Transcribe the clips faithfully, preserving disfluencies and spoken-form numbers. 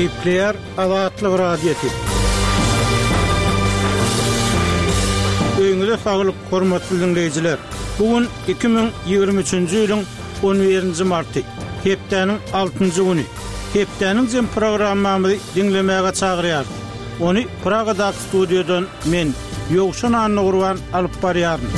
Gepleýär Azatlyk Radiosy. Öýüňize saglyk, hormatly dinleýjiler. Bu gün iki müň ýigrimi üçünji ýylyň on birinji marty, hepdäniň altynjy güni. Hepdäniň jem programmamyzy diňlemäge çagyrýarys. Ony Pragadaky studiýadan men, Ýowşan Annagurban alyp barýaryn.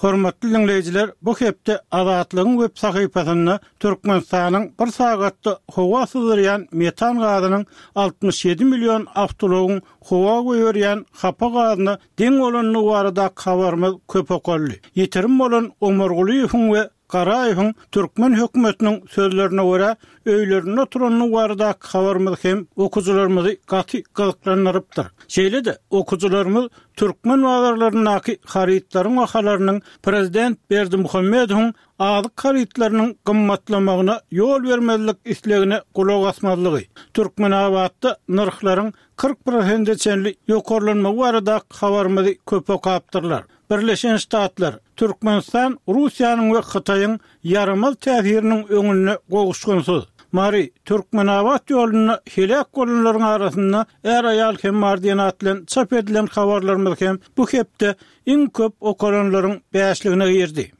Hormatly dinleýjiler, bu hepde Azatlygyň web sahypasynda Türkmenistanyň bir sagatda howa syzdyrýan metan gazynyň altmyş ýedi million awtoulagyň howa goýberýän hapa gazyna deň bolandygy baradaky habarymyz köp okaldy. Ýitirim bolan Omargulyýewiň we Garaýewiň türkmen hökümetiniň sözlerine görä öýlerinde oturandygy baradaky habarymyz hem okyjylarymyzy gaty gyzyklandyrypdyr. Şeýle-de okyjylarymyz türkmen bazarlaryndaky harytlaryň bahalarynyň Prezident Berdimuhamedowyň azyk harytlarynyň gymmatlamagyna ýol bermezlik islegine gulak asmazlygy, Türkmenabatda nyrhlaryň kyrk prosente çenli ýokarlanmagy baradaky habarymyzy köp okapdyrlar. Birleşen Ştatlar, Türkmenistan, Russiýanyň we Hytaýyň ýaramaz täsiriniň öňünde gowuşgynsyz. Mary, Türkmenabat ýolunda heläk bolanlaryň arasynda är-aýal hem bar diýen at bilen çap edilen habarlarymyz hem bu hepde iň köp okalanlaryň bäşligine girdi.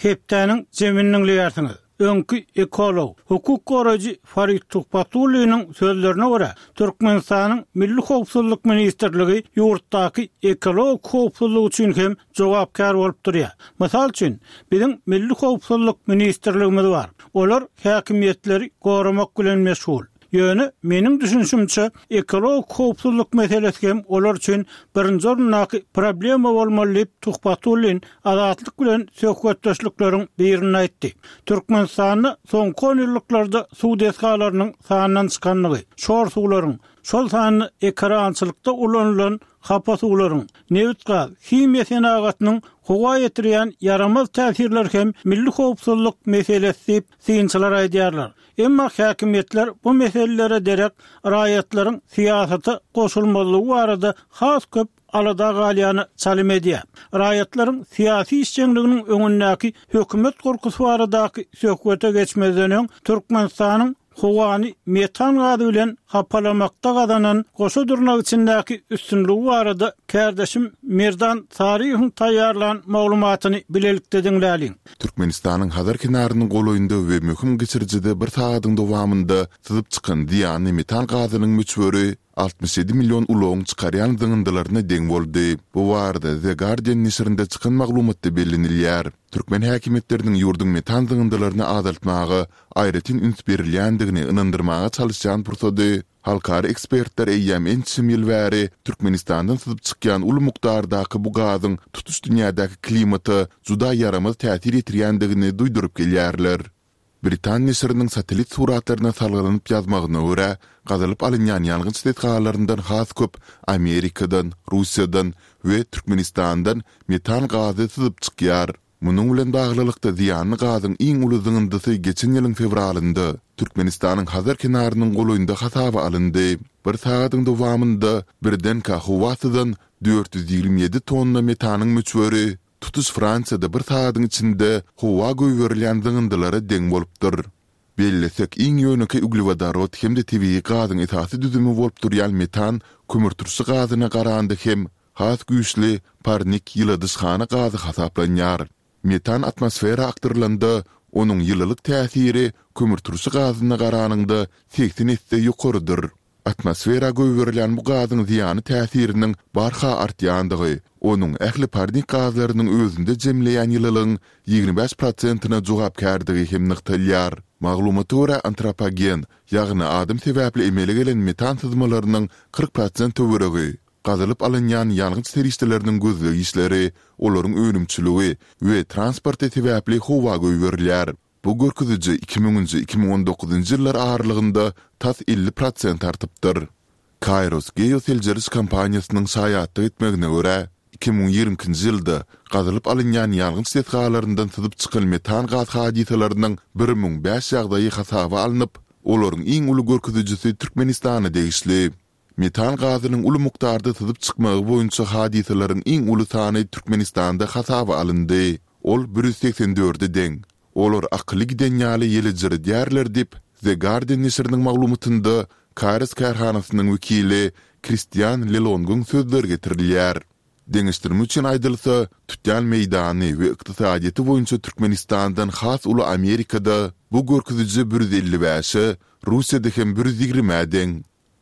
Hepdäniň jemini diňleýärsiňiz. Öňki ekolog, hukuk goraýjy Farid Tuhbatulliniň sözlerine görä, Türkmenistanyň Milli Howpsuzlyk Ministrligi ýurtdaky ekologik howpsuzlyk üçin hem jogapkär bolup durýar. Mysal üçin, biziň Milli Howpsuzlyk Ministrligimiz bar. Olar häkimiýetleri goramak bilen meşgul. Ýöne meniň düşünşimçe ekologik howpsuzlyk meselesi hem olar üçin birinji orundaky problema bolmaly diýip Tuhbatullin Azatlyk bilen söhbetdeşlikleriň birini aýtdy. Türkmenistanda soňky on ýyllyklarda suw desgalarynyň sandan çykanlygy, şor suwlaryň, şol sanda ekerançylykda ulanylan hapa suwlaryň, nebit-gaz, himiýa senagatynyň howa ýetirýän ýaramaz täsirler hem milli howpsuzlyk meselesi diýip synçylar aýdýarlar. Emma häkimiýetler bu meselelere derek raýatlaryň syýasata goşulmazlygy barada has köp alada galýany çalym edýär. Raýatlaryň syýasy işjeňliginiň öňündäki hökümet gorkusy baradaky söhbete geçmezden öň Türkmenistanyň howany metan gazy bilen hapalamakda gazanan goşa durnak içindäki üstünligi barada kärdeşim Merdan Saryýewiň taýýarlan maglumatyny bilelikde diňläliň. Türkmenistanyň Hazar kenarynyň golaýynda we möhüm geçirijide bir sagadyň dowamynda syzyp çykan zyýanly metan gazynyň möçberi altmyş ýedi million ulagyň çykarýan zyňyndylaryna deň boldy. Bu barada The Guardian neşirinde çykan maglumatda bellenilýär. Türkmen häkimiýetleriniň ýurduň metan zyňyndylaryny azaltmaga aýratyn üns berilýändigini ynandyrmaga çalyşýan pursady, halkara ekspertler eýýäm ençeme ýyl bäri Türkmenistandan syzyp çykýan uly mukdardaky bu gazyň tutuş dünýädäki klimata juda ýaramaz täsir ýetirýändigini duýduryp gelýärler. Britan neşiriniň satellit suratlaryna salgylanyp ýazmagyna görä, gazylyp alynýan ýangyç desgalaryndan has köp Amerikadan, Russiýadan we Türkmenistandan metan gazy syzyp çykýar. Munuň bilen baglylykda zyýanly gazyň iň uly zyňyndysy geçen ýylyň fewralynda Türkmenistanyň Hazar kenarynyň golaýynda hasaba alyndy. Bir sagadyň dowamynda birdenkä howa syzan dört ýüz ýigrimi ýedi tonna metanyň möçberi tutuş Fransiýada bir sagadyň içinde howa goýberilýän zyňyndylara deň bolupdyr. Bellesek, iň ýönekeý uglewodorod hem-de tebigy gazyň esasy düzümi bolup durýan metan kömürturşy gazyna garanda hem has güýçli parnik ýyladyşhana gazy hasaplanýar. Metan atmosfera akdyrylanda, onuň ýylylyk täsiri kömürturşy gazyna garanyňda segsen esse ýokarydyr. Atmosfera goýberilýän bu gazyň zyýanly täsiriniň barha artýandygy, onuň ähli parnik gazlarynyň özünde jemleýän ýylylygyň ýigrimi bäş prosentine jogapkärdigi hem nygtalýar. Maglumata görä, antropogen, ýagny adam sebäpli emele gelen metan syzmalarynyň kyrk prosent töweregi, gazylyp alynýan ýangyç serişdeleriniň gözleg işleri, olaryň önümçiligi we transporty sebäpli howa goýberilýär. Bu görkeziji iki müňünji, iki müň on dokuzynjy ýyllar aralygynda tas elli prosent artypdyr. Kayrros geoseljeriş kompaniýasynyň şaýatlyk etmegine görä, iki müň ýigrimi ikinji ýylda gazylyp alynýan ýangyç desgalaryndan syzyp çykan metan gaz hadysalarynyň bir müň bäş ýagdaýy hasaba alnyp, olaryň iň uly görkezijisi Türkmenistana degişli. Metan gazynyň uly mukdarda syzyp çykmagy boýunça hadysalaryň iň uly sany Türkmenistanda hasaba alyndy. Ol bir ýüz segsen dörde deň. Olar akyly giden ýaly ýelejiredýärler diýip, The Guardian neşiriniň maglumatynda Kares kärhanasynyň wekili Kristian Lelongyň sözleri getirilýär. Deňeşdirme üçin aýdylsa, tutýan meýdany we ykdysadyýeti boýunça Türkmenistandan has uly Amerikada bu görkeziji bir ýüz elli bäşe, Russiýada hem bir ýüz ýigrimä deň.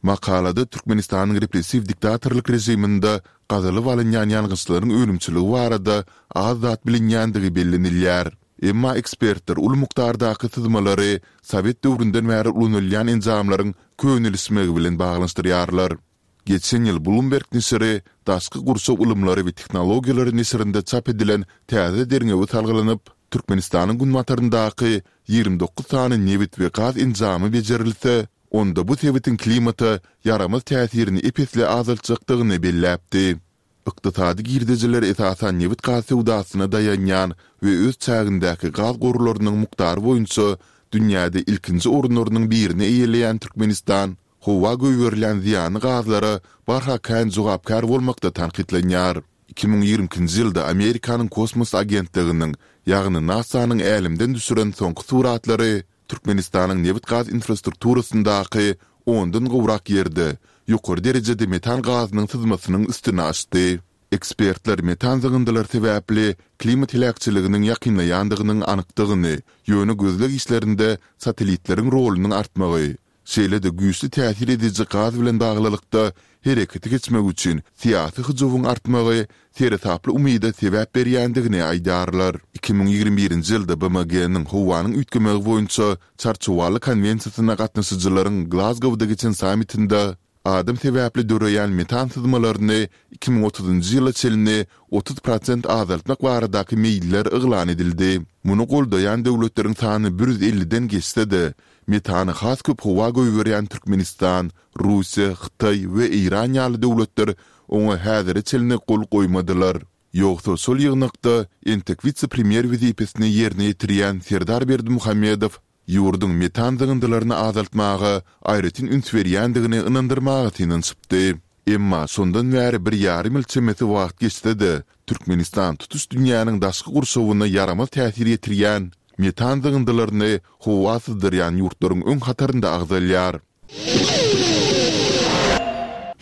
Makalada Türkmenistanyň repressiw diktatorlyk režiminde gazylyp alynýan ýangyçlaryň önümçiligi barada az zat bilinýändigi bellenilýär. Emma ekspertler uly mukdardaky syzmalary sowet döwründen bäri ulanylýan enjamlaryň könelişmegi bilen baglanyşdyrýarlar. Geçen ýyl Bloomberg neşiri Daşky gurşaw ylymlary we tehnologiýalary neşirinde çap edilen täze derňewe salgylanyp, Türkmenistanyň günbataryndaky ýigrimi dokuz sany nebit we gaz enjamy bejerilse, onda bu sebitiň klimata ýaramaz täsirini ep-esli azaltjakdygyny belläpdi. Ykdysady girdejiler esasan nebit-gaz söwdasyna daýanýan we öz çägindäki gaz gorlarynyň mukdary boýunça dünýäde ilkinji orunlarynyň birini eýeleýän Türkmenistan howa goýberilýän zyýanly gazlara barha kän jogapkär bolmakda tankytlanýar. Iki müň ýigrimi ikinji ýylda Amerikanyň kosmos agentliginiň, ýagny NASA-nyň älemden düşüren soňky suratlary Türkmenistanyň nebit-gaz infrastrukturasyndaky ondan gowrak ýerde ýokary derejede metan gazynyň syzmasynyň üstüni açdy. Ekspertler metan zyňyndylary sebäpli klimat heläkçiliginiň ýakynlaýandygynyň anykdygyny, ýöne gözleg işlerinde satellitleriň rolunyň artmagy, Şeýle-de güýçli täsir ediji gaz bilen baglylykda herekete geçmek üçin syýasy hyjuwyň artmagy seresaply umyda sebäp berýändigini aýdýarlar. Iki müň ýigrimi birinji ýylda BMG-niň howanyň üýtgemegi boýunça Çarçuwaly konwensiýasyna gatnaşyjylaryň Glazgowda geçen sammitinde adam sebäpli döreýän metan syzmalaryny iki müň otuzynjy ýyla çenli otuz prosent azaltmak baradaky meýiller yglan edildi. Muny goldaýan döwletleriň sany bir ýüz elliden geçse-de, Metany has köp howa goýberýän Türkmenistan, Russiýa, Hytaý we Eýran ýaly döwletler oňa häzire çenli gol goýmadylar. Ýogsa şol ýygnakda entek wise-premýer wezipesini ýerine ýetirýän Serdar Berdimuhamedow ýurduň metan zyňyndylaryny azaltmaga aýratyn üns berýändigini ynandyrmaga synanyşypdy. Emma şondan bäri bir ýarym ýyl çemesi wagt geçse-de, Türkmenistan tutuş dünýäniň daşky gurşawyna ýaramaz täsir ýetirýän metan zyňyndylaryny howa syzdyrýan ýurtlaryň öň hatarynda agzalýar.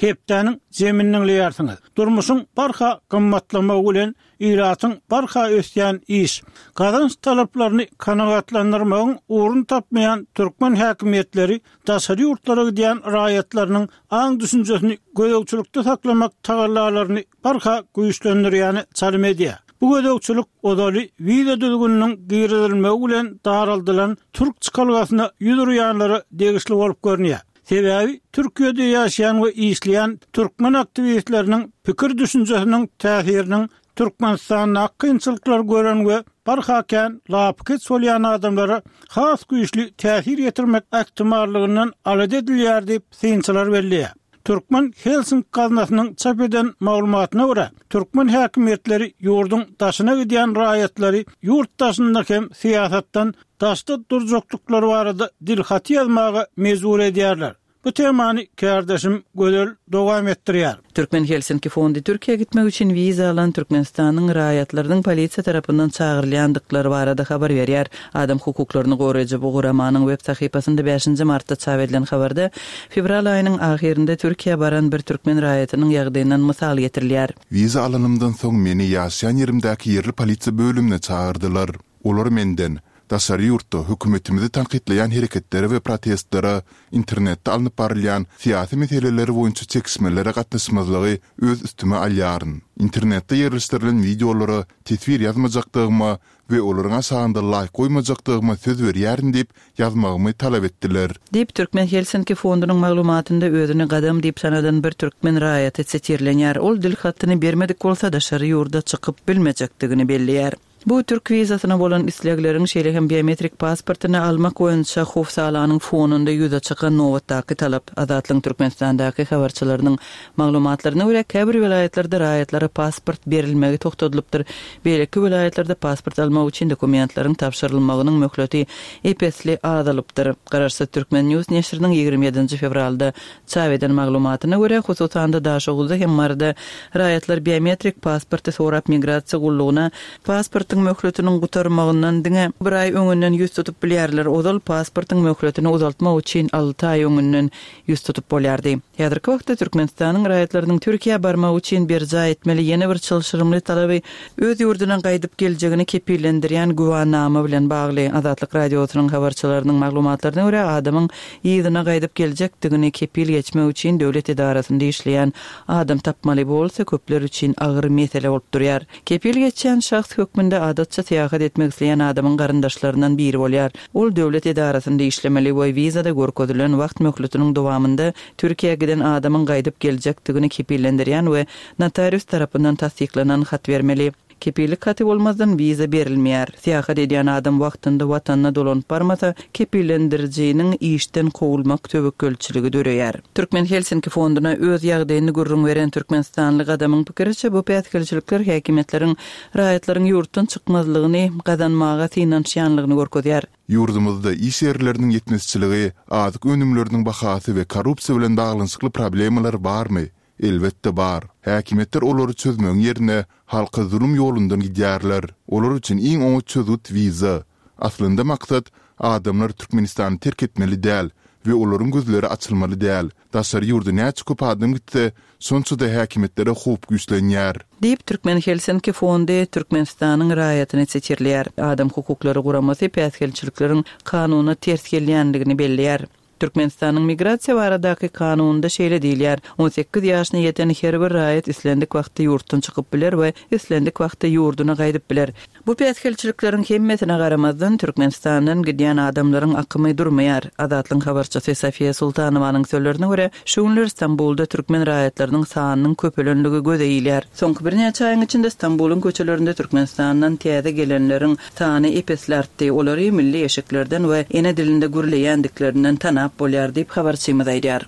Hepdäniň jemini diňleýärsiňiz. Durmuşyň barha gymmatlamagy bilen ilatyň barha ösýän iş, gazanç talaplaryny kanagatlandyrmagyň ugruny tapmaýan türkmen häkimiýetleri daşary ýurtlara gidýän raýatlarynyň aň-düşünjesini gözegçilikde saklamak tagallalaryny barha güýçlendirýäne çalym edýär. Bu gözegçilik ozaly wiza düzgüniniň girizilmegi bilen daraldylan türk çykalgasyna ýüz urýanlara degişli bolup görünýär. Sebäbi Türkiýede ýaşaýan we işleýän türkmen aktiwistleriniň pikir-düşünjesiniň täsiriniň Türkmenistandaky kynçylyklary gören we barha kän lapykeç bolýan adamlara has güýçli täsir ýetirmek ähtimallygyndan alada edilýär diýip, synçylar belleýär. Türkmen Helsinki gaznasynyň çap eden maglumatyna görä, türkmen häkimiýetleri ýurduň daşyna gidýän raýatlary ýurt daşynda hem syýasatdan daşda durjakdyklary barada dilhaty ýazmaga mejbur edýärler. Bu temany kärdeşim Gözel dowam etdirýär. Türkmen Helsinki fondy Türkiýä gitmek üçin wiza alan Türkmenistanyň raýatlarynyň polisiýa tarapyndan çagyrylýandyklary barada habar berýär. Adam hukuklaryny goraýjy bu guramanyň web sahypasynda bäşinji martda çap edilen habarda fewral aýynyň ahyrynda Türkiýä baran bir türkmen raýatynyň ýagdaýyndan mysal getirilýär. Wiza alanymdan soň meni ýaşaýan ýerimdäki ýerli polisiýa bölümine çagyrdylar. Olar menden, Daşary ýurtda hökümetimizi tankytlaýan hereketlere we protestlere, internetde alnyp barylýan syýasy meseleler boýunça çekişmelere gatnaşmazlygy öz üstüme alýaryn. Internetde ýerleşdirilen wideolara teswir ýazmajakdygyma we olaryň aşagynda laýk goýmajakdygyma söz berýärin diýip ýazmagymy talap etdiler. Diýip, Türkmen Helsinki fondunyň maglumatynda özüni Gadam diýip tanadan bir türkmen raýaty sitirlenýär. Ol dilhatyny bermedik bolsa, daşary ýurda çykyp bilmejekdigini belleýär. Bu türk wizasyna bolan islegleriň, şeýle hem biometrik pasportyny almak boýunça howsalanyň fonunda ýüze çykan nobatdaky talap. Azatlygyň Türkmenistandaky habarçylarynyň maglumatlaryna görä, käbir welaýatlarda raýatlara pasport berilmegi togtadylypdyr, beýleki welaýatlarda pasport almak üçin dokumentleriň tabşyrylmagynyň möhleti ep-esli azalypdyr. Garaşsyz Türkmen News neşiriniň ýigrimi ýedinji fewralda Çap eden maglumatyna görä, hususan-da Daşoguzda hem Maryda raýatlar biometrik pasporty sorap migrasiýa gullugyna pasportyň Pasportyň möhletiniň gutarmagyndan diňe bir aý öňünden ýüz tutup bilýärler. Ozal pasportyň möhletini uzaltmak üçin alty aý öňünden ýüz tutup bolýardy. Häzirki wagtda Türkmenistanyň raýatlarynyň Türkiýä barmagy üçin berjaý etmeli ýene bir çylşyrymly talaby öz ýurduna gaýdyp geljegini kepillendirýän güwänama bilen bagly. Azatlyk Radiosynyň habarçylarynyň maglumatlaryna görä, adamyň yzyna gaýdyp geljekdigini kepil geçmek üçin döwlet edarasynda işleýän adam tapmaly bolsa köpler üçin agyr mesele bolup durýar. Kepil geçýän şahs hökmünde adatça syýahat etmek isleýän adamyň garyndaşlaryndan biri bolýar. Ol döwlet edarasynda işlemeli we wizada görkezilen wagt möhletiniň dowamynda Türkiýä giden adamyň gaýdyp geljekdigini kepillendirýän we notarius tarapyndan tassyklanan hat bermeli. Kepillik haty bolmazdan wiza berilmeýär. Syýahat edýän adam wagtynda watanyna dolanyp barmasa, kepillendirijiniň işden kowulmak töwekgelçiligi döreýär. Türkmen Helsinki fonduna öz ýagdaýyny gürrüň beren türkmenistanly adamyň pikiriçe, bu päsgelçilikler häkimiýetleriň raýatlaryň ýurtdan çykmazlygyny gazanmaga synanyşýanlygyny görkezýär. Ýurdumyzda iş ýerleriniň ýetmezçiligi, azyk önümleriniň bahasy we korrupsiýa bilen baglanyşykly problemalar barmy? Elbetde bar. Häkimiýetler olary çözmegiň ýerine halka zulum ýolundan gidýärler. Olar üçin iň oňat çözgüt wiza. Aslynda maksat adamlar Türkmenistany terk etmeli däl we olaryň gözleri açylmaly däl. Daşary ýurda näçe köp adam gitse, şonça-da häkimiýetlere howp güýçlenýär. Diýip, Türkmen Helsinki fondy Türkmenistanyň raýatyny setirleýär. Adam hukuklary guramasy päsgelçilikleriň kanuna ters gelýändigini belleýär. Türkmenistanyň migrasiýa baradaky kanunynda şeýle diýilýär: on sekiz ýaşyna ýeten her bir raýat islendik wagtda ýurtdan çykyp biler we islendik wagtda ýurduna gaýdyp biler. Bu päsgelçilikleriň hemmesine garamazdan Türkmenistandan gidýän adamlaryň akymy durmaýar. Azatlygyň habarçysy Sofiýa Sultanowanyň sözlerine görä, şu günler Stambulda türkmen raýatlarynyň sanynyň köpelenligi göze ilýär. Soňky birnäçe aýyň içinde Stambulyň köçelerinde Türkmenistandan täze gelenleriň sany epesli artdy. Olary milli eşiklerden we ene dilinde gürleýändiklerinden tanap bolýar diýip habarçymyz aýdýar.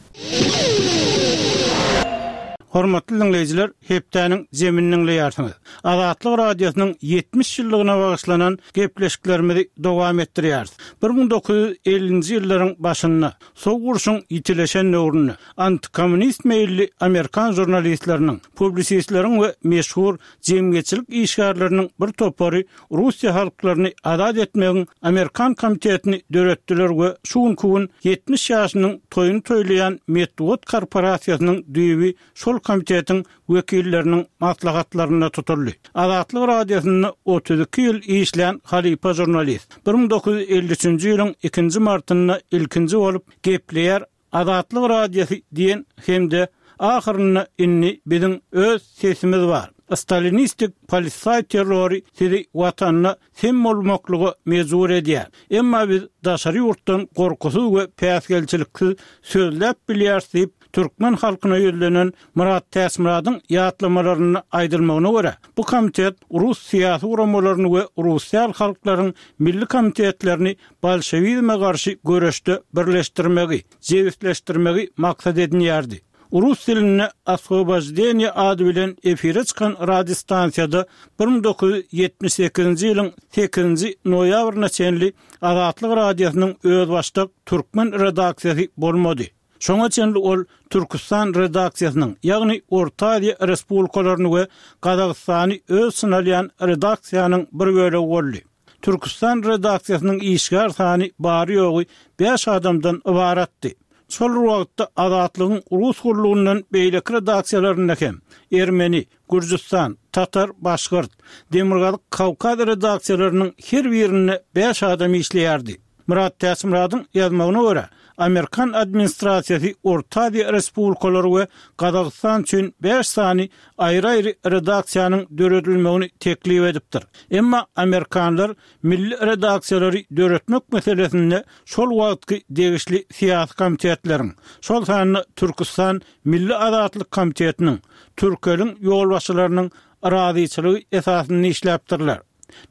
Hormatly dinleýjiler, hepdäniň zemini dinleýärsiňiz. Azatlyk Radiosynyň ýetmiş ýyllygyna bagyşlanan gepleşiklerimizi dowam etdirýäris. bir müň dokuz ýüz ellinji ýyllaryň başynda Sowuk urşuň ýitileşen döwründe antikommunist meýilli Amerikan žurnalistleriniň, publisistleriň we meşhur jemgyýetçilik işgärleriniň bir topary Russiýa halklaryny azat etmegiň Amerikan komitetini döretdiler we şu günki gün ýetmiş ýaşynyň toýuny toýlaýan metbugat korporasiýasynyň düýbi şol komitetiň wekilleriniň maslahatlarynda tutuldy. Azatlyk Radiosynda otuz iki ýyl işlän halypa žurnalist bir müň dokuz ýüz elli üçünji ýylyň ikinji martynda ilkinji bolup gepleýär Azatlyk Radiosy diýen hem-de ahyrynda indi biziň öz sesimiz bar. Stalinistik polisay terrory sizi watanyna sem bolmaklyga mejbur edýär. Emma biz daşary ýurtdan gorkusyz we päsgelçiliksiz sözläp bilýäris diýip, türkmen halkyna ýüzlenen Murat Täçmyradyň ýatlamalaryny aýdylmagyna görä, bu komitet Rus syýasy guramalaryny we Russiýaly halklaryň milli komitetlerini bolşewizme garşy göreşde birleşdirmegi, jebisleşdirmegi maksat edinýärdi. Rus dilinde Osvobojdeniye ady bilen efire çykan radiostansiýada bir müň dokuz ýüz ýetmiş sekizinji ýylyň sekizinji noýabryna çenli Azatlyk Radiosynyň özbaşdak türkmen redaksiýasy bolmady. Şoňa çenli ol Türküstan redaksiýasynyň, ýagny Orta Aziýa Respublikalaryny we Gazagystany öz içine alýan redaksiýanyň bir bölegi boldy. Türküstan redaksiýasynyň işgär sany bary ýogy bäş adamdan ybaratdy. Şol wagtda Azatlygyň Rus gullugyndan beýleki redaksiýalarynda hem Ermeni, Gürjüstan, Tatar, Başgyrt, Demirgazyk Kawkaz redaksiýalarynyň her birinde bäş adam işleýärdi. Murat Täçmyradyň ýazmagyna görä, Amerikan administrasiýasy Orta Aziýa Respublikalary we Gazagystan üçin bäş sany aýry-aýry redaksiýanyň döredilmegini teklip edipdir. Emma Amerikanlar milli redaksiýalary döretmek meselesinde şol wagtky degişli syýasy komitetleriň, şol sanda Türküstan Milli Azatlyk Komitetiniň, Türkeliň ýolbaşçylarynyň razyçylygy esasynda işläpdirler.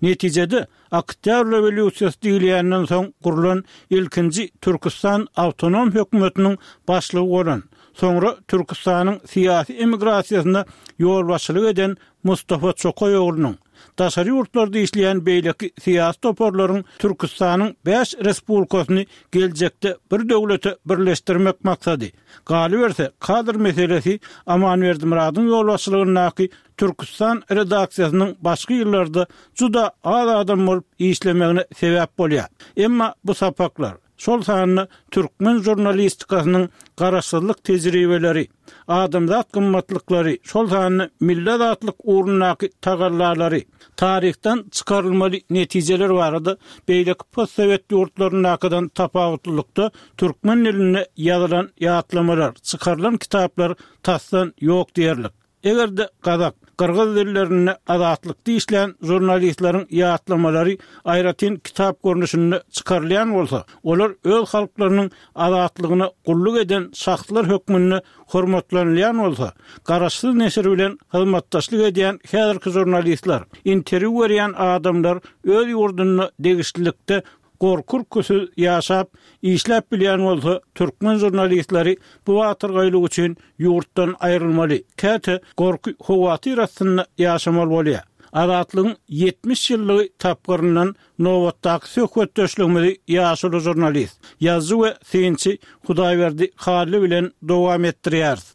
Netijede, Oktýabr rewolýusiýasy diýilýänden soň gurlan ilkinji Türküstan awtonom hökümetiniň başlygy bolan, soňra Türküstanyň syýasy emigrasiýasyna ýolbaşçylyk eden Mustafa Çokaýoglunyň, daşary ýurtlarda işleýän beýleki syýasy toparlaryň Türküstanyň bäş respublikasyny geljekde bir döwlete birleşdirmek maksady, galyberse, kadr meselesi Aman Berdimyradyň ýolbaşçylygyndaky Türküstan redaksiýasynyň başky ýyllarda juda az adam bolup işlemegine sebäp bolýar. Emma bu sapaklar, şol sanda türkmen žurnalistikasynyň garaşsyzlyk tejribeleri, adamzat gymmatlyklary, şol sanda milli azatlyk ugrundaky tagallalary, taryhdan çykarylmaly netijeler barada beýleki postsowet ýurtlaryndakydan tapawutlylykda türkmen dilinde ýazylan ýatlamalar, çykarylan kitaplar tasdan ýok diýerlik. Eger-de gazak, gyrgyz dillerinde Azatlykda işlän žurnalistleriň ýatlamalary aýratyn kitap görnüşinde çykarylýan bolsa, olar öz halklarynyň azatlygyna gulluk eden şahslar hökmünde hormatlanylýan bolsa, garaşsyz neşir bilen hyzmatdaşlyk edýän häzirki žurnalistler, interwýu berýän adamlar öz ýurdunda degişlilikde gorky-ürküsiz ýaşap, işläp bilýän bolsa, türkmen žurnalistleri bu batyrgaýlyk üçin ýurtdan aýrylmaly, käte gorky-howatyr astynda ýaşamaly bolýar. Azatlygyň ýetmiş ýyllygy tapgyryndan nobatdaky söhbetdeşligimizi ýaşuly žurnalist, ýazyjy we synçy Hudaýberdi Hally bilen dowam etdirýäris.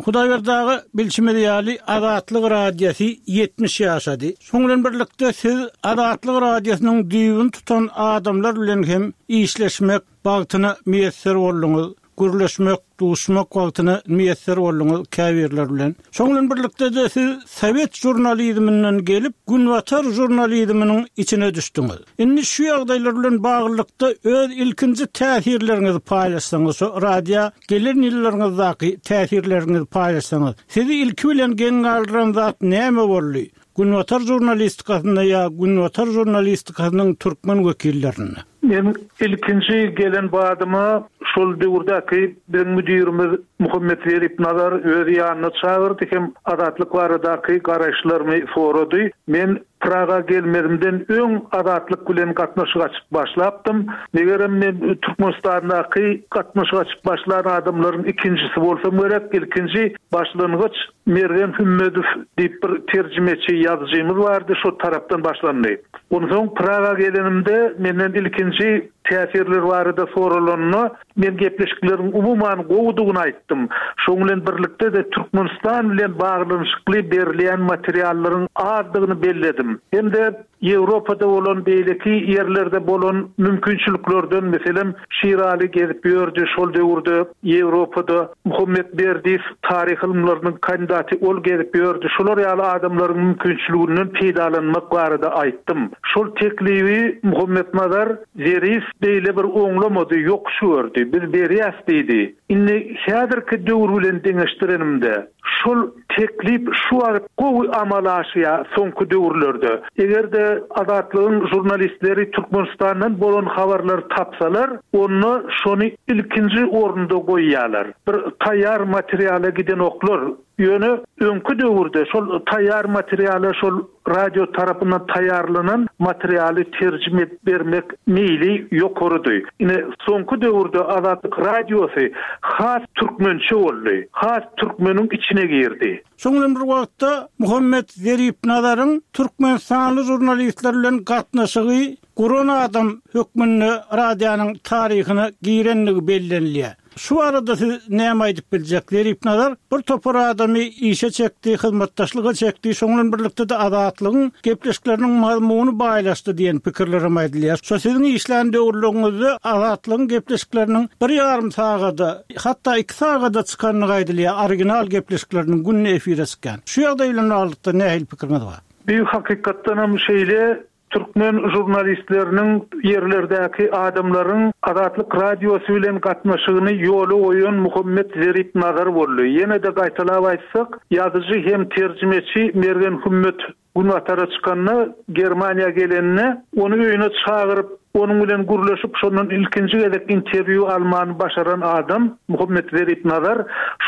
Hudaýberdi aga, bilşimiz ýaly, Azatlyk Radiosy ýetmiş ýaşady. Şonuň bilen birlikde siz Azatlyk Radiosynyň düýbüni tutan adamlar bilen hem işleşmek bagtyna miýesser bolduňyz, gürleşmek, duşmak bagtyna miýesser bolduňyz käbirleri bilen. Şonuň bilen birlikde-de siz sowet žurnalizminden gelip, günbatar žurnalizminiň içine düşdüňiz. Indi şu ýagdaýlar bilen baglylykda öz ilkinji täsirleriňizi paýlaşsaňyz, şu radio gelen ýyllaryňyzdaky täsirleriňizi paýlaşsaňyz, sizi ilki bilen geň galdyran zat näme boldy? Günbatar žurnalistikasynda ýa günbatar žurnalistikasynyň türkmen wekillerinde? Men ilkinji gelen badyma şol döwürdäki biziň müdirimiz Muhammet Zerip Nazar öz ýanyna çagyrdy hem Azatlyk baradaky garaýyşlarymy sorady. Men Praga gelmezimden öň Azatlyk bilen gatnaşyk açyp başlapdym. Megerem men Türkmenistandaky gatnaşyk açyp başlan adamlaryň ikinjisi bolsam gerek. Ilkinji başlangyç Mergen Hümmedow diýip bir terjimeçi ýazyjymyz bardy, şo tarapdan başlandy. Onsoň Praga gelenimde menden ilkinji täsirler barada soralanda men gepleşikleriň umuman gowudygyny aýtdym. Şoň bilen birlikde-de Türkmenistan bilen baglanyşykly berilýän materiallaryň azdygyny belledim. Hem-de Ýewropada bolan beýleki ýerlerde bolan mümkinçiliklerden, meselem, Şiraly gezip ýördi şol döwürde Ýewropada, Muhammet Berdiýew taryh ylymlarynyň kandidaty ol gezip ýördi. Şolar ýaly adamlaryň mümkinçiliginden peýdalanmak barada aýtdym. Şol teklibi Muhammetnazar Zerif beýle bir oňlamady, ýokuş gördi. Biz berýäs diýdi. Indi häzirki döwür bilen deňeşdirenimde, şol teklip şu wagt gowy amala aşýar soňky döwürlerde. Eger-de Azatlygyň žurnalistleri Türkmenistandan bolan habarlary tapsalar, onda şony ilkinji orunda goýýarlar. Bir taýýar materiala gidenoklar. Ýöne öňki döwürde şol taýýar materiala şol radio tarapyndan taýýarlanan materialy terjime edip bermek meýli ýokarydy. Ine, soňky döwürde Azatlyk Radiosy has türkmençe boldy, has türkmeniň içine girdi. Şonuň bilen bir wagtda Muhammet Zeripnazaryň türkmenistanly žurnalistler bilen gatnaşygy guran adam hökmünde radionyň taryhyna girendigi bellenilýär. Şu barada siz näme aýdyp biljek? Zeripnazar bir topar adamy işe çekdi, hyzmatdaşlyga çekdi, şonuň bilen birlikde-de Azatlygyň gepleşikleriniň mazmuny baýlaşdy diýen pikirlerem aýdylýar. Şo siziň işlän döwürleriňizde Azatlygyň gepleşikleriniň bir ýarym sagada, hatda iki sagada çykandygy aýdylýar, original gepleşikleriniň günde efire çykýan. Şu ýagdaý bilen baglylykda nähili pikiriňiz bar? Bu hakykatdanam şeýle, türkmen žurnalistleriniň ýerlerdäki adamlaryň Azatlyk Radiosy bilen gatnaşygyny ýola goýan Muhammet Zerip Nazar boldy. Ýene-de gaýtalap aýtsak, ýazyjy hem terjimeçi Mergen Hümmet Günbatara çykanda, Germaniýa gelende, ony öýüne çagyryp, onuň bilen gürleşip, şondan ilkinji gezek interwýu almany başaran adam Muhammet Zerip Nazar.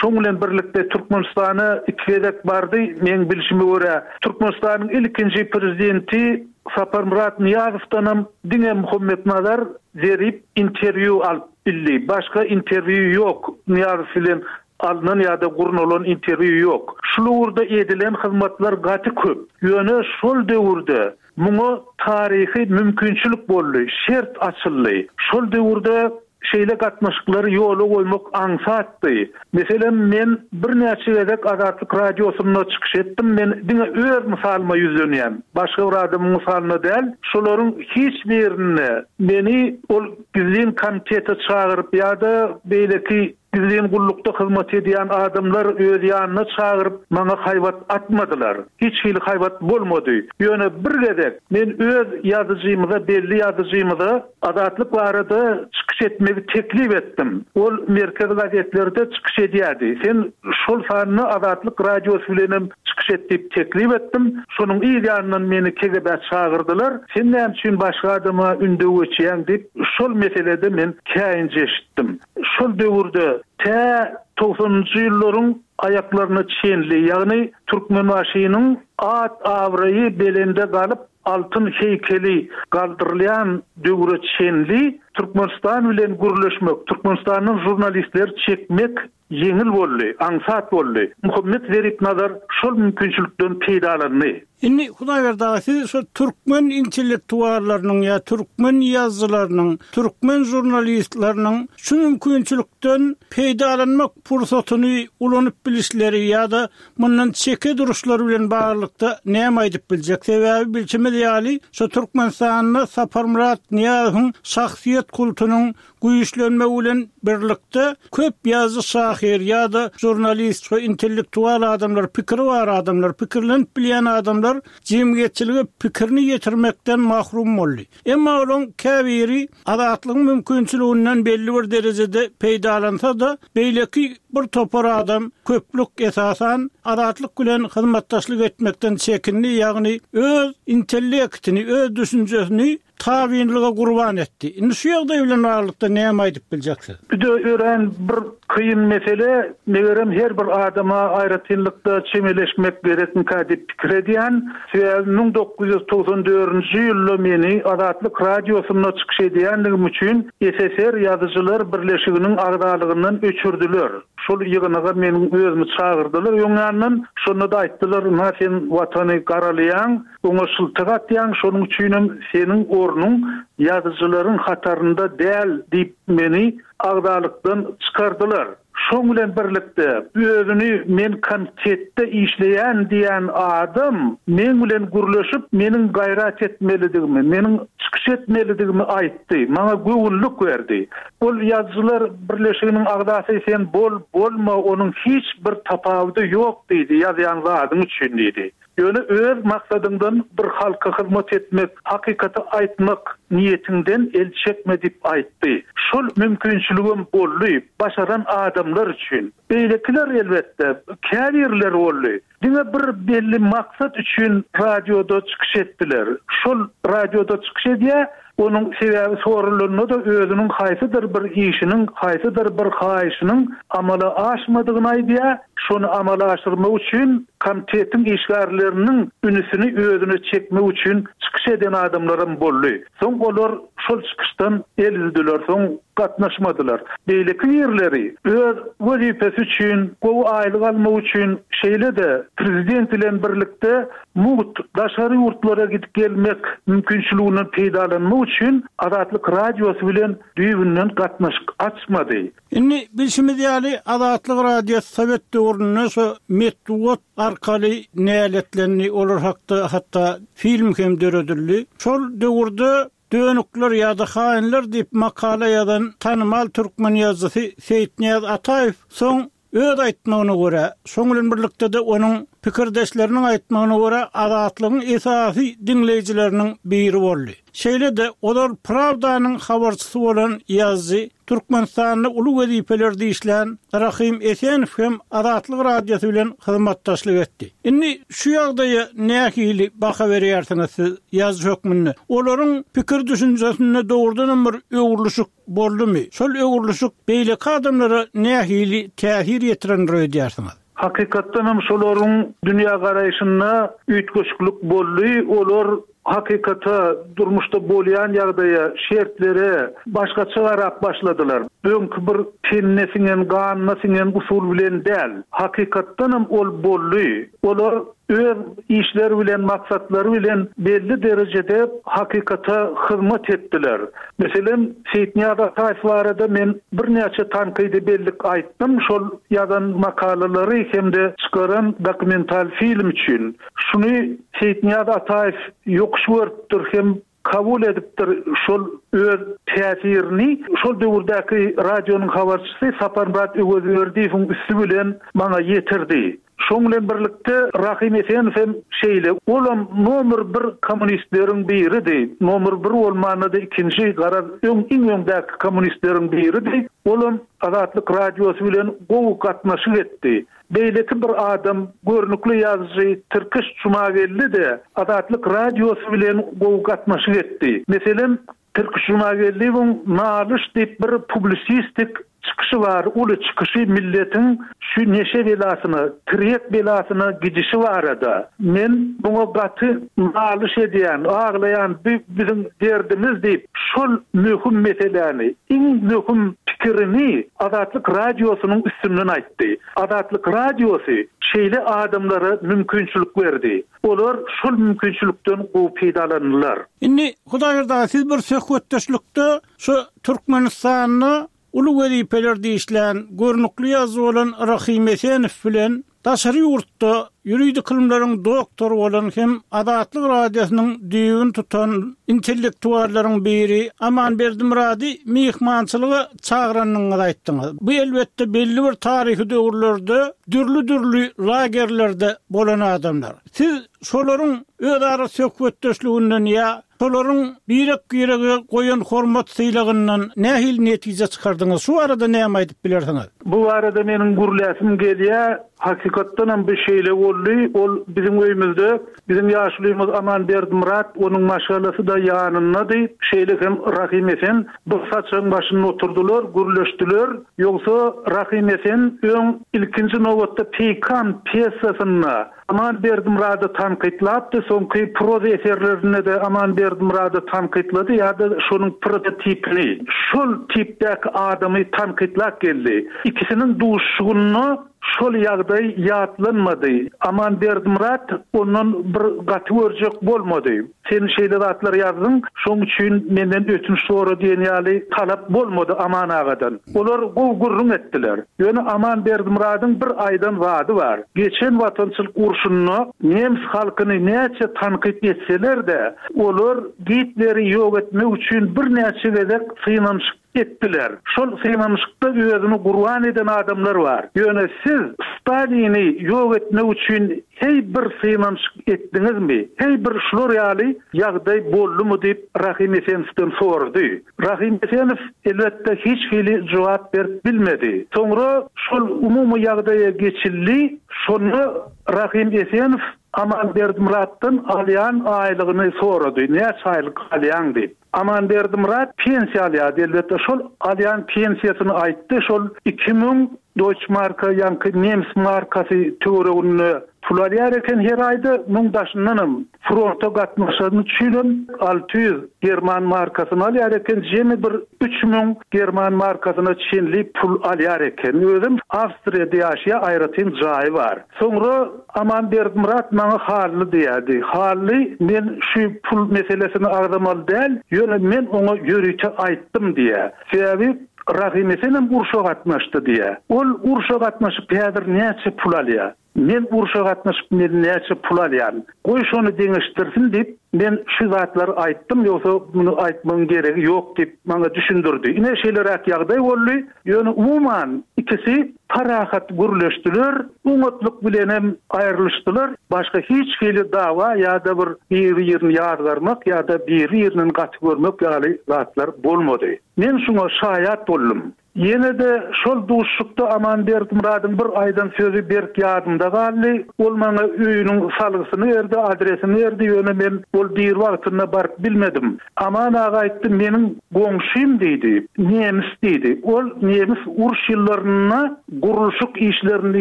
Şoň bilen birlikde Türkmenistana iki gezek bardy, meň bilşime görä, Türkmenistanyň ilkinji prezidenti Saparmyrat Nyýazowdanam diňe Muhammetnazar Zerip interwýu alyp bildi. Başga interwýu ýok Nyýazow bilen alnan ýa-da gurnalan interwýu ýok. Şul ugurda edilen hyzmatlar gaty köp. Ýöne şol döwürde muňa taryhy mümkinçilik boldy, şert açyldy. Şol döwürde şeýle gatnaşyklary ýola goýmak aňsatdy. Meselem, men birnäçe gezek Azatlyk Radiosynda çykyş etdim. Men diňe öz mysalyma ýüzlenýän. Başga bir adamyň mysalyna däl. Şolaryň hiç birinde meni ol gizlin komitete çagyryp ýa-da beýleki gizlin gullukda hyzmat edýän adamlar öz ýanyna çagyryp maňa haýbat atmadylar. Hiç hili haýbat bolmady. Ýöne bir gezek men öz ýazyjymyza, belli ýazyjymyza Azatlyk barada çykyş etmegi teklip etdim. Ol merkez gazetlerde çykyş edýärdi. Sen şol sanda Azatlyk Radiosy bilenem çykyş et diýip teklip etdim. Şonuň yz ýanyndan meni K G B çagyrdylar. Sen näme üçin başga adama ündew geçýäň diýip, şol meselede men käýinç eşitdim. Şol döwürde tä togsanynjy ýyllaryň aýaklaryna çenli, ýagny Türkmenbaşynyň at abraýy belende galyp altyn heýkeli galdyrylýan döwre çenli Türkmenistan bilen gürleşmek, Türkmenistandan jurnalistleri çekmek ýeňil boldy, aňsat boldy. Muhammet Zerip Nazar şol mümkinçilikden peýdalandy. Indi Hudaýberdi aga, siz şu türkmen intellektuallarynyň ýa türkmen ýazyjylarynyň, türkmen jurnalistleriniň şu mümkinçilikden peýdalanmak pursatyny ulanyp bilişleri ýa-da mundan çeke duruşlary bilen baglylykda näme aýdyp biljek? Sebäbi bilşimiz ýaly, şu Türkmenistanda Saparmyrat Nyýazowyň şahsyýet kultunyň güýçlenmegi bilen birlikde köp ýazyjy, şahyr ýa-da jurnalist we intellektual adamlar, pikiri bar adamlar, pikirlenip bilýän adamlar jemgyýetçilige pikirini ýetirmekden mahrum boldy. Emma olaryň käbiri azatlygyň mümkinçiliginden belli bir derejede peýdalansa da, beýleki bir topar adam köplük esasan azatlyk bilen hyzmatdaşlyk etmekden çekindi, ýagny öz intellektini, öz düşünjesini tabinlige gurban etdi. Indi şu ýagdaý bilen baglylykda näme aýdyp biljeksiz? Bu da ören bir kyn mesele, megerem her bir adama aýratynlykda çemeleşmek gerekmikä diýip pikir edýän. Sebäbi müň dokuz ýüz togsan dördünji ýylda meni Azatlyk Radiosynda çykyş edýänligim üçin S S R Ýazyjylar Birleşiginiň agzalygyndan öçürdüler. Şol ýygnaga meniň özümi çagyrdylar öňýandan. Şonda da aýtdylar, "Na sen watany garalaýaň, oňa şyltyk atýaň, şonuň üçinem seniň ornuň ýazyjylaryň hatarynda däl" diýip meni agzalykdan çykardylar. Şoň bilen birlikde özüni men komitetde işleýän diýen adam men bilen gürleşip meniň gaýrat etmelidigimi, meniň çykyş etmelidigimi aýtdy. Maňa göwünlik berdi. Ol Ýazyjylar Birleşiginiň agzasy sen bol, bolma, onuň hiç bir tapawudy ýok diýdi, ýazýan zadyň üçin diýdi. Ýöne öz maksadyňdan bir halka hyzmat etmek, hakykaty aýtmak niýetinden el çekme diýip aýtdy. Şol mümkinçiligim boldy, başaran adamlar üçin. Beýlekiler elbetde käbirler boldy. Diňe bir belli maksat üçin radioda çykyş etdiler. Şol radioda çykyş edýär, onuň sebäbi sorulanda da özüniň haýsydyr bir işiniň, haýsydyr bir haýyşynyň amala aşmadygyny aýdýar. Şony amala aşyrmak üçin komitetiň işgärleriniň ünüsini özüne çekmek üçin çykyş eden adamlaram boldy. Soň olar şol çykyşdan el üzdüler, soň gatnaşmadylar. Beýleki ýerleri öz wezipesi üçin, gowy aýlyk almak üçin, şeýle-de prezident bilen birlikde mugt daşary ýurtlara gidip gelmek mümkinçiliginden peýdalanmak üçin Azatlyk Radiosy bilen düýbünden gatnaşyk açmady. Indi bilşimiz ýaly Azatlyk Radiosy Sowet döwründe şu metbugat arkaly näletlendi, olar hakda hatda film hem döredildi. Şol döwürde dönükler ýa-da haýynlar diýip makala ýazan tanymal türkmen ýazyjysy Seýitnyýaz Ataýew soň öz aýtmagyna görä, şoň bilen birlikde de onuň pikirdeşleriniň aýtmagyna görä Azatlygyň esasy diňleýjileriniň biri boldy. Şeýle-de olar Pravdanyň habarçysy bolan ýazyjy Türkmenistanda uly wezipelerde işlän Rahim Esenow hem Azatlyk Radiosy bilen hyzmatdaşlyk etdi. Indi şu ýagdaýa nähili baha berýärsiňiz siz ýazyjy hökmünde? Olaryň pikir düşünjesinde dogrudanam bir öwrülişik boldumy? Şol öwrülişik beýleki adamlara nähili täsir ýetirendir öýdýärsiňiz? Hakykatdan hem şolaryň dünýä garaýşynda üýtgeşiklik boldy. Olar hakykata durmuşda bolýan ýagdaýa, şertlere başgaça garap başladylar. Öňki bir tenine siňen, ganyna siňen usul bilen däl. Hakykatdan hem ol boldy. Olar öz işleri bilen, maksatlary bilen belli derejede hakykata hyzmat etdiler. Meselem, Seýitnyýaz Ataýew barada men birnäçe tankydy bellik aýtdym. Şol ýazan makalalary hem-de çykaran dokumental film üçin. Şuny Seýitnyýaz Ataýew ýokuş görüpdir hem kabul edipdir şol öz täsirini. Şol döwürdäki radionyň habarçysy Saparmyrat Öwezberdiýewiň üsti bilen maňa ýetirdi. Şoň bilen birlikde Rahim Esenow hem şeýle, olam nomer bir kommunistleriň biridi. Nomer bir bolmanda-da ikinji garaz öň iň öňdäki kommunistleriň biridi. Olam Azatlyk radiosy bilen gowy gatnaşyk etdi. Beýleki bir adam görnükli ýazyjy Tirkiş Jumageldi-de Azatlyk radiosy bilen gowy gatnaşyk etdi. Meselem, Tirkiş Jumageldiýewiň Nalyş diýip bir publisistik çykyşy bar, uly çykyşy milletiň şu neşe belasyna, tirýek belasyna gidişi barada. Men buňa gaty nalyş edýän, aglaýan bu biziň derdimiz diýip, şol möhüm meseläni, iň möhüm pikirini Azatlyk radiosynyň üstünden aýtdy. Azatlyk radiosy şeýle adamlara mümkinçilik berdi. Olar şol mümkinçilikden gowy peýdalandylar. Indi Hudaýberdi aga, siz bir söhbetdeşlikde şu Türkmenistanda uly wezipelerde işlän, görnükli ýazyjy bolan Rahim Esenow bilen daşary ýurtda ýuridik ylymlaryň doktory bolan hem Azatlyk radiosynyň düýbüni tutan intellektuallaryň biri Aman Berdimyrady myhmançylyga çagyranyňyzy aýtdyňyz. Bu elbetde belli bir taryhy döwürlerde dürli-dürli lagerlerde bolan adamlar. Siz şolaryň özara söhbetdeşliginden ýa şolaryň birek-birege goýan hormat sylagyndan nähili netije çykardyňyz? Şu arada näme aýdyp bilersiňiz? Bu arada meniň gürläsim gelýär. Hakykatdan hem bir şeýle boldy. Ol biziň öýümizde biziň ýaşulymyz Aman Berdimyrat, onuň maşgalasy da ýanyndady. Şeýle hem Rahim Esen bir saçagyň başynda oturdylar, gürleşdiler. Ýogsa Rahim Esen öň ilkinji nobatda Peýkam pýesasynda Aman Berdimyrady tankytlapdy, soňky proza eserlerinde de Aman Berdimyrady tankytlady ýa-da şonuň prototipini, şol tipdäki adamy tankytlap geldi. Ikisiniň duşuşygynda şol ýagdaý ýatlanmady. Aman Berdimyrat ondan bir gaty görjek bolmady. Sen şeýle zatlar ýazdyň, şoň üçin menden ötünç sora diýen ýaly talap bolmady Aman agadan. Olar gowy gürrüň etdiler. Ýöne Aman Berdimyradyň bir aýdan zady bar. Geçen watançylyk urşunda nemes halkyny näçe tankyt etseler-de, olar Gitleri ýok etmek üçin birnäçe gezek synanyşyk etdiler. Şol synanyşykda özüni gurban eden adamlar bar. Ýöne siz Stalini ýok etmek üçin hey bir synanyşyk etdiňizmi? Hey bir şular ýaly ýagdaý boldumy diýip Rahim Esenowdan sordy. Rahim Esenow elbetde hiç hili jogap berip bilmedi. Soňra şol umumy ýagdaýa geçildi. Şonda Rahim Esenow Aman Berdimyratdan alýan aýlygyny sorady. Näçe aýlyk alýaň diýip. Aman Berdimyrat pensiýa alýardy elbetde. Şol alýan pensiýasyny aýtdy. Şol iki müň Deutsche Marka, ýaňky nemes markasy töwereginde pul alýar eken her aýda, müň daşyndanam fronta gatnaşan üçinem alty ýüz german markasyny alýar eken, jemi bir üç müň german markasyna çenli pul alýar eken. Özüm Awstriýada ýaşaýar, aýratyn jaýy bar. Soňra Aman Berdimyrat maňa Hally diýerdi. Hally, men şu pul meselesini agzamaly däl, ýöne men oňa ýörite aýtdym diýär. Sebäbi Rahim Esenem urşa gatnaşdy diýär. Ol urşa gatnaşyp häzir näçe pul alýar? Men urşa gatnaşyp men näçe pul alýan? Goý şony deňeşdirsin diýip, men şu zatlary aýtdym, ýogsa muny aýtmagyň geregi ýok diýip maňa düşündirdi. Ine şeýleräk ýagdaý boldy. Ýöne umuman ikisi parahat gürleşdiler, oňatlyk bilenem aýrylyşdylar. Başga hiç hili dawa ýa-da bir biri-birini ýazgarmak ýa-da biri-biriniň gaty görmek ýaly zatlar bolmady. Men şuňa şaýat boldum. Ýene-de şol duşuşykda Aman Berdimyradyň bir aýdan sözi berk ýadymda galdy. Ol maňa öýüniň salgysyny berdi, adresini berdi, ýöne men ol diri wagtynda baryp bilmedim. Aman aga aýtdy, meniň goňşym diýdi, nemis diýdi. Ol nemis uruş ýyllarynda gurluşyk işlerinde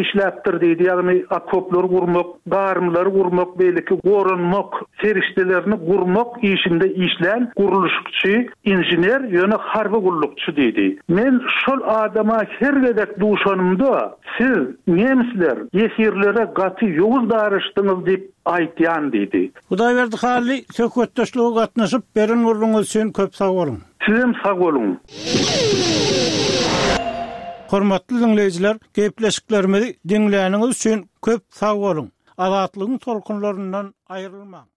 işläpdir diýdi, ýagny okoplary gurmak, garymlary gurmak, beýleki goranmak serişdelerini gurmak işinde işlän gurluşykçy, inžener, ýöne harby gullukçy diýdi. Men şol adama her gezek duşanymda, Siz, nemisler, ýesirlere gaty ýowuz daraşdyňyz diýip aýtýan diýdi. Hudaýberdi Hally, söhbetdeşlige gatnaşyp, beren gürrüňiňiz üçin köp sag boluň! Sizem sag boluň! Hormatly diňleýjiler, gepleşiklerimizi diňläniňiz üçin köp sag boluň! Azatlygyň tolkunlaryndan aýrylmaň!